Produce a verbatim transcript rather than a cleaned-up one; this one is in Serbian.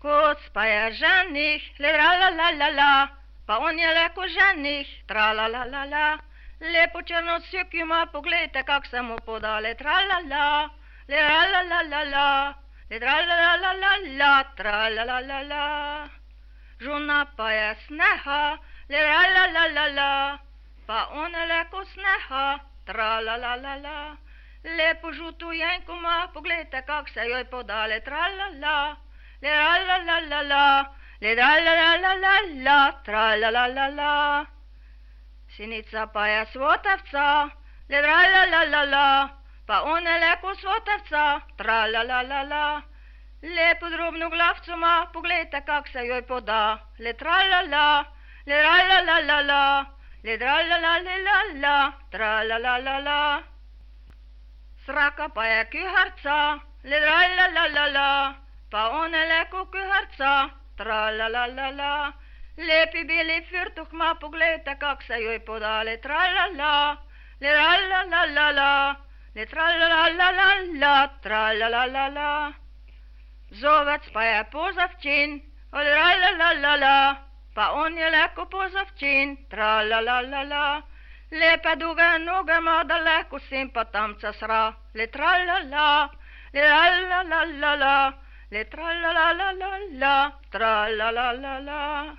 Koc spaja ženich, le tra la la la la, pa on je leko ženih, tra la la la la. Lepo črnosjuk ima, poglejte, kak se mu poda, le tra la la, le tra la la la la, le tra la la la la la, tra la la la la. Žuna pa je sneha, le tra la la la la, pa on je leko sneha, tra la la la la. Lepo žutu jenku ima, poglejte, kak se joj poda, le tra la la, le tra la la la la, le tra la la la la la, tra la la la la. Sinica pa je svotavca, le tra la la la la, pa on je leko svotavca, tra la la la la. Lepo drobno glavco ima, poglejte, kak se joj poda, le tra la la, le tra la la la la, le tra la la la la la, tra la la la la. Sraka pa je kuharca, le tra la la la la, pa on je leko kuharca, tra la la la la. Lepi beli firtuh ima, poglejte, kak se joj poda, le tra la la, le tra la la la la, le tra la la la la la, tra la la la la. Zovec pa je pozavčin, le tra la la la la, pa on je leko pozavčin, tra la la la la. Lepe duge noge ima, daleko sem pa tamca sra, le tra la la, le tra la la la la, le tra la la la la la, tra la la la la.